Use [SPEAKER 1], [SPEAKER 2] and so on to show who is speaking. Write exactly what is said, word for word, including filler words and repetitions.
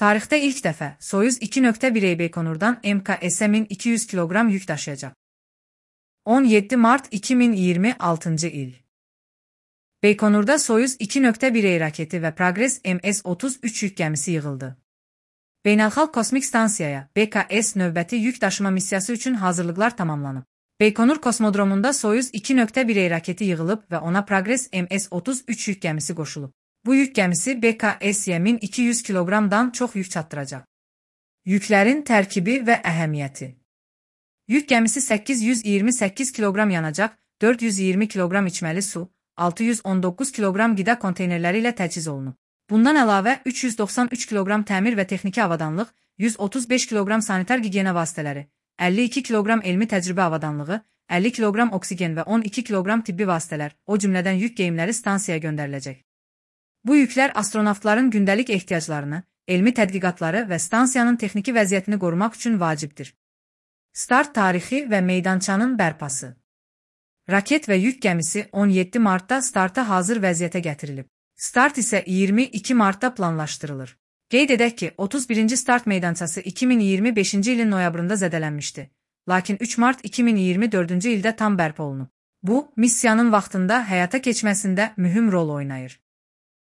[SPEAKER 1] Tarixdə ilk dəfə Soyuz iki nöqtə bir Beykonurdan M K S min iki yüz kiloqram yük daşıyacaq. on yeddi mart iki min iyirmi altıncı il. Beykonurda Soyuz iki nöqtə bir raketi və Progress M S otuz üç yük gəmisi yığıldı. Beynəlxalq Kosmik Stansiyaya B K S növbəti yük daşıma missiyası üçün hazırlıqlar tamamlanıb. Beykonur kosmodromunda Soyuz iki nöqtə bir raketi yığılıb və ona Progress M S otuz üç yük gəmisi qoşulub. Bu yük gəmisi B K S-yə min iki yüz kiloqramdan çox yük çatdıracaq. Yüklərin tərkibi və əhəmiyyəti. Yük gəmisi səkkiz yüz iyirmi səkkiz kiloqram yanacaq, dörd yüz iyirmi kiloqram içməli su, altı yüz on doqquz kiloqram qida konteynerləri ilə təchiz olunub. Bundan əlavə üç yüz doxsan üç kiloqram təmir və texniki avadanlıq, yüz otuz beş kiloqram sanitar gigiyena vasitələri, əlli iki kiloqram elmi təcrübə avadanlığı, əlli kiloqram oksigen və on iki kiloqram tibbi vasitələr, o cümlədən yük geyimləri stansiyaya göndəriləcək. Bu yüklər astronavtların gündəlik ehtiyaclarını, elmi tədqiqatları və stansiyanın texniki vəziyyətini qorumaq üçün vacibdir. Start tarixi və meydançanın bərpası. Raket və yük gəmisi on yeddi martda starta hazır vəziyyətə gətirilib. Start isə iyirmi iki martda planlaşdırılır. Qeyd edək ki, otuz birinci start meydançası iki min iyirmi beşinci ilin noyabrında zədələnmişdi. Lakin üç mart iki min iyirmi dördüncü ildə tam bərpa olunub. Bu, missiyanın vaxtında həyata keçməsində mühüm rol oynayır.